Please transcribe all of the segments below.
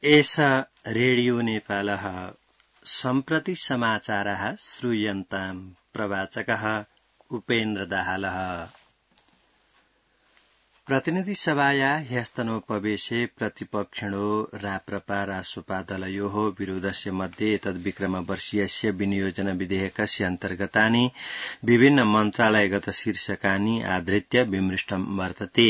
एषा रेडियो नेपालः सम्प्रति समाचारः श्रूयन्ताम् प्रवाचकः उपेन्द्र दाहालः। प्रतिनिधि सभाया ह्यस्तनोपवेशे प्रतिपक्षिणो राप्रपा रासोपा दलयोः विरोधस्य मध्ये एतद्विक्रमवर्षीयस्य विनियोजन विधेयकस्य अन्तर्गतानि विभिन्न मन्त्रालयगत शीर्षकानि आधृत्य विमृष्टं वर्तते।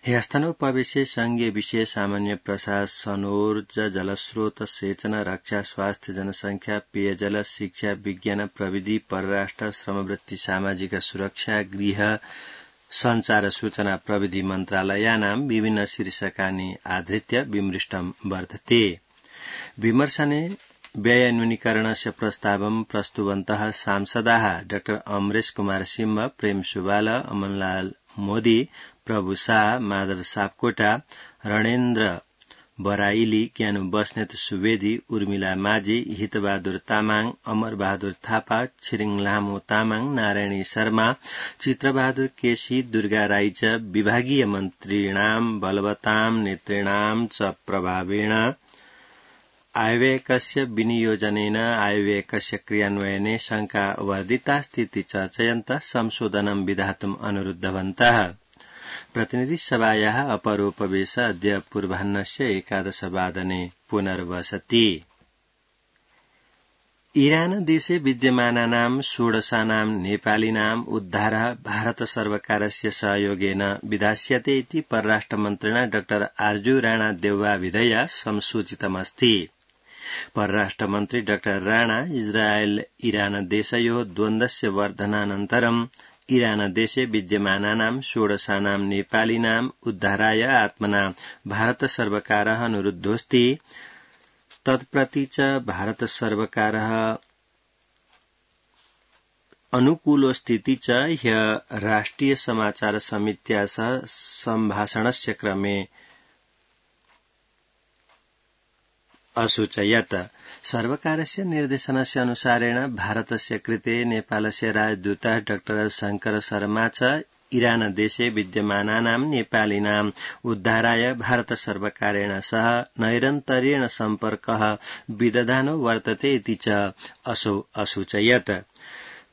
ह्यस्तनोपवेशे संघीय विषय सामान्य प्रशासनोर्ज जलस्रोत सेचन रक्षा स्वास्थ्य जनसंख्या पेयजल शिक्षा विज्ञान प्रविधि परराष्ट्र श्रमवृत्ति सामाजिक सुरक्षा गृह संचार सूचना प्रविधि मन्त्रालयानां विभिन्न शीर्षकानि आधृत्य विमृष्टं वर्तते। विमर्शने व्ययन्यूनीकरणस्य प्रस्तावं प्रस्तुवन्तः सांसदाः डॉ अमरेश कुमार सिंह प्रेम सुवाल अमनलाल मोदी प्रभु शाह माधव सापकोटा रणेन्द्र बराइली ज्ञानु बस्नेत सुवेदी उर्मिला माझी हितबहादुर तामाङ अमर बहादुर थापा छिरिङ लामो तामाङ नारायणी शर्मा चित्रबहादुर केसी दुर्गा राई च विभागीय मन्त्रीणां बलवतां नेतॄणां च प्रभावेण आयव्ययकस्य विनियोजनेन आयव्ययकस्य क्रियान्वयने शंका वर्धितास्तीति चर्चयन्तः संशोधनं विधातुम् अनुरुद्धवन्तः। प्रतिनिधि सभायाः अपरोपवेश अद्य पूर्वाह्नस्य 11 वादने पुनर्वसति। ईरान देशे विद्यमानानां षोडशानां नेपालिनाम् उद्धारः भारत सर्वकारस्य सहयोगेन विधास्यते इति परराष्ट्रमन्त्रिणा डॉ आर्जू राणा देउवाविधया संसूचितमस्ति। परराष्ट्रमन्त्री डॉ राणा इस्राएल ईरान देशयोः द्वन्द्वस्य वर्धनानन्तरं ईरान देशे विद्यमानानां षोडशानां नेपालिनाम् उद्धाराय आत्मना भारत सर्वकारः अनुरुद्धोऽस्ति। तत्प्रति च भारत सर्वकारः अनुकूलोऽस्तीति च ह्यः राष्ट्रिय समाचार समित्या सह सम्भाषणस्य क्रमे असूचयत्। सर्वकारस्य निर्देशनस्य अनुसारेण भारतस्य कृते नेपालस्य राजदूतः डॉ शंकर शर्मा च ईरान देशे विद्यमानानां नेपालिनाम् उद्धाराय भारत सर्वकारेण सह नैरन्तर्येण सम्पर्कः विदधानो वर्तते इति च असौ असूचयत्।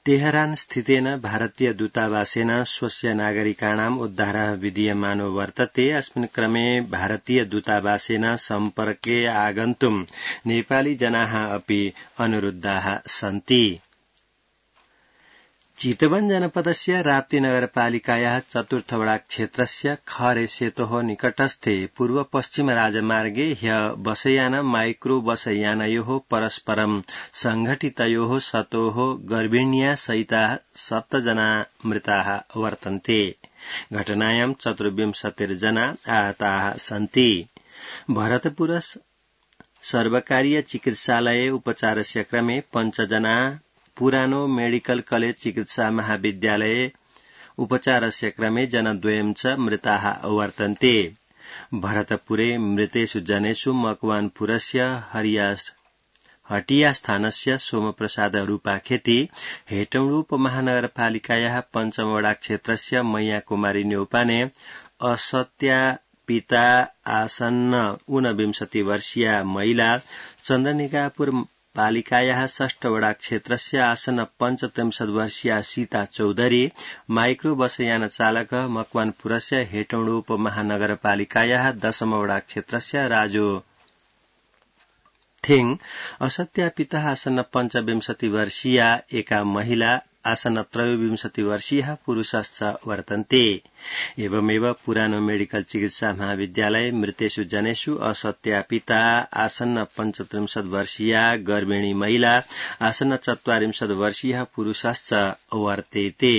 तेहरान स्थितेन भारतीय दूतावासेन स्वस्य नागरिकाणाम् उद्धारः विधीयमानो वर्तते। अस्मिन् क्रमे भारतीय दूतावासेन सम्पर्के आगन्तुम् नेपाली जनाः अपि अनुरुद्धाः सन्ति। चितवन जनपदस्य राप्ती नगरपालिकायाः चतुर्थवडा क्षेत्रस्य खरे सेतोः निकटस्थे पूर्व पश्चिम राजमार्गे ह्यः बसयान माइक्रो बसयानयोः परस्परं संघटितयोः शतोः गर्भिण्या सहिताः 7 जना मृताः वर्तन्ते। घटनायां 24 जना आहताः सन्ति। भरतपुर सर्वकारीय चिकित्सालये उपचारस्य क्रमे 5 जना पुरानो मेडिकल कलेज चिकित्सा महाविद्यालये उपचारस्य क्रमे जनद्वयं च मृताः वर्तन्ते। भरतपुरे मृतेषु जनेषु मकवानपुरस्य हटिया स्थानस्य सोमप्रसाद रूपाखेती हेटौडा उपमहानगरपालिकायाः पञ्चमवडा क्षेत्रस्य मैया कुमारी न्यौपाने असत्यापिता आसन्न 29 वर्षीया महिला चन्द्रनिकापुर पालिकायाः षष्ठवडा क्षेत्रस्य आसन्न 35 वर्षीया सीता चौधरी माइक्रो बसयान चालक मकवानपुरस्य हेटौडा उपमहानगरपालिकायाः 10मवडा क्षेत्रस्य राजो थिङ असत्यापिता आसन्न 25 वर्षीया एका महिला आसन्न 23 वर्षीयः पुरुषश्च वर्तन्ते। एवमेव पुरानो मेडिकल चिकित्सा महाविद्यालय मृतेषु जनेषु असत्यापिता आसन्न 35 वर्षीया गर्भिणी महिला आसन्न 44 वर्षीयः पुरुषश्च वर्तेते।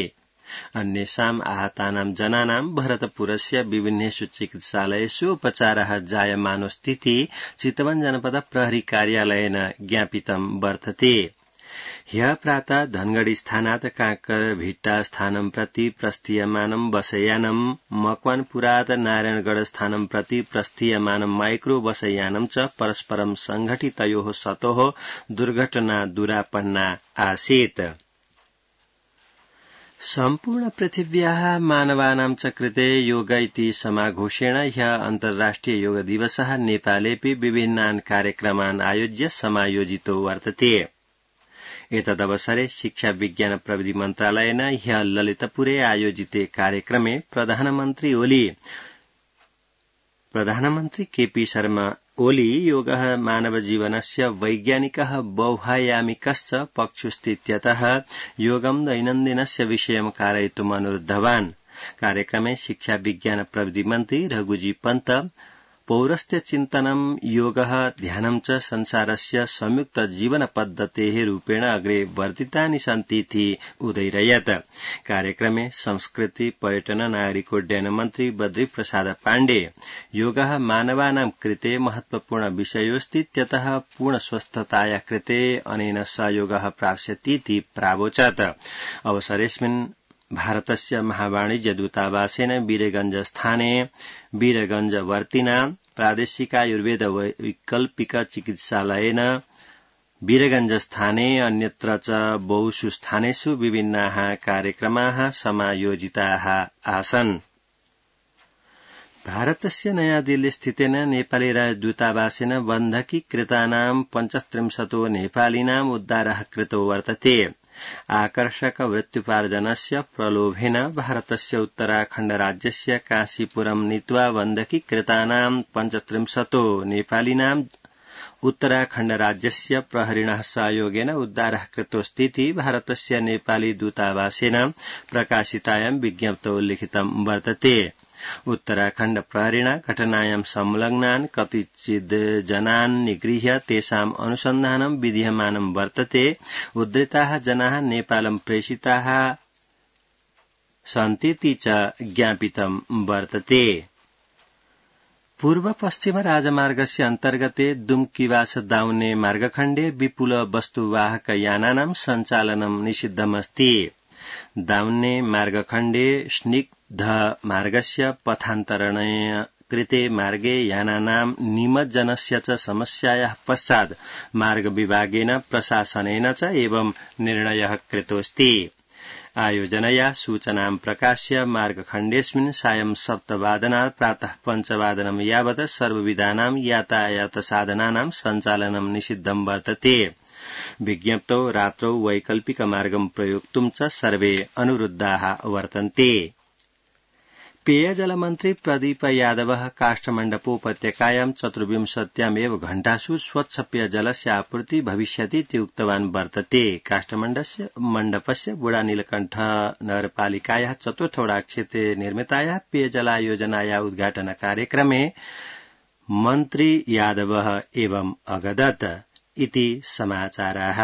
अन्येषाम् आहतानां जनानां भरतपुरस्य विभिन्नेषु चिकित्सालयेषु उपचारः जायमानोऽस्तीति चितवन जनपद प्रहरी कार्यालयेन ज्ञापितं वर्तते। ह्यः प्रातः धनगढ़ी स्थानात् कांकरभिट्टा स्थानं प्रति प्रस्थीयमानं बसयानं मकवानपुरात् नारायणगढ़ स्थानं प्रति प्रस्थीयमानं माइक्रो बसयानं च परस्परं संघटितयोः शतोः दुर्घटना दुरापन्ना आसीत्। सम्पूर्ण पृथिव्याः मानवानां च कृते योग इति समाघोषेण ह्यः अन्तर्राष्ट्रिय योग दिवसः नेपालेऽपि विभिन्नान् कार्यक्रमान् आयोज्य समायोजितो वर्तते। एतदवसरे शिक्षा विज्ञान प्रविधि मन्त्रालयेन ह्यः ललितपुरे आयोजिते कार्यक्रमे प्रधानमन्त्री केपी शर्मा ओली योगः मानवजीवनस्य वैज्ञानिकः बहुआयामिकश्च पक्षोऽस्तीत्यतः योगं दैनन्दिनस्य विषयं कारयितुम् अनुरुद्धवान्। कार्यक्रमे शिक्षा विज्ञान प्रविधि मन्त्री रघुजी पन्त पौरस्त्य चिन्तनं योगः ध्यानं च संसारस्य संयुक्त जीवन पद्धतेः रूपेण अग्रे वर्धितानि सन्तीति उदयरयत्। कार्यक्रमे संस्कृति पर्यटन नागरिकोड्डयन मन्त्री बद्री प्रसाद पाण्डे योगः मानवानां कृते महत्वपूर्ण विषयोऽस्तीत्यतः पूर्ण स्वस्थताया कृते अनेन सहयोगः प्राप्स्यतीति प्रावोचत्। अवसरेऽस्मिन् भारतस्य महावाणिज्य दूतावासेन वीरगंजस्थाने वीरगंजवर्तिना प्रादेशिकायुर्वेद वैकल्पिक चिकित्सालयेन वीरगंजस्थाने अन्यत्र च बहुषु स्थानेषु विभिन्नाः कार्यक्रमाः समायोजिताः आसन्। भारतस्य नयाँ दिल्ली स्थितेन नेपाली राजदूतावासेन बन्धकीकृतानां 35 नेपालिनाम् उद्धारः कृतो वर्तते। आकर्षक वृत्त्युपार्जनस्य प्रलोभेन भारतस्य उत्तराखण्ड राज्यस्य काशीपुरं नीत्वा बन्धकीकृतानां 35 नेपालिनाम् उत्तराखण्ड राज्यस्य प्रहरिणः सहयोगेन उद्धारः कृतोऽस्तीति भारतस्य नेपाली दूतावासेन प्रकाशितायां विज्ञप्तौ लिखितं वर्तते। उत्तराखण्ड प्रहरिणा घटनायां संलग्नान् कतिचिद् जनान् निगृह्य तेषाम् अनुसन्धानं विधीयमानं वर्तते। उद्धृताः जनाः नेपालं प्रेषिताः सन्तीति च ज्ञापितं वर्तते। पूर्व पश्चिम राजमार्गस्य अन्तर्गते दुम्कीवास दाउने मार्गखण्डे विपुल वस्तुवाहक यानानां सञ्चालनं निषिद्धमस्ति। दाउन्ने मार्गखण्डे स्निग्ध मार्गस्य पथान्तरणेन कृते मार्गे यानानां निमज्जनस्य च समस्यायाः पश्चात् मार्ग विभागेन प्रशासनेन च एवं निर्णयः कृतोऽस्ति। आयोजनया सूचनां प्रकाश्य मार्गखण्डेऽस्मिन् सायं 7 वादनात् प्रातः 5 वादनं यावत् सर्वविधानां यातायातसाधनानां सञ्चालनं निषिद्धं वर्तते। विज्ञप्तौ रात्रौ वैकल्पिक मार्गं प्रयोक्तुं च सर्वे अनुरुद्धाः वर्तन्ते। पेयजलमन्त्री प्रदीप यादवः काष्ठमण्डपोपत्यकायां 24 घण्टासु स्वच्छ पेयजलस्य आपूर्ति भविष्यतीति उक्तवान् वर्तते। काष्ठमण्डपस्य बुढा नीलकण्ठ नगरपालिकायाः 4th वडाक्षेत्रे निर्मितायाः पेयजलायोजनायाः उद्घाटन कार्यक्रमे मन्त्री यादवः एवं अगदत् इति समाचाराः।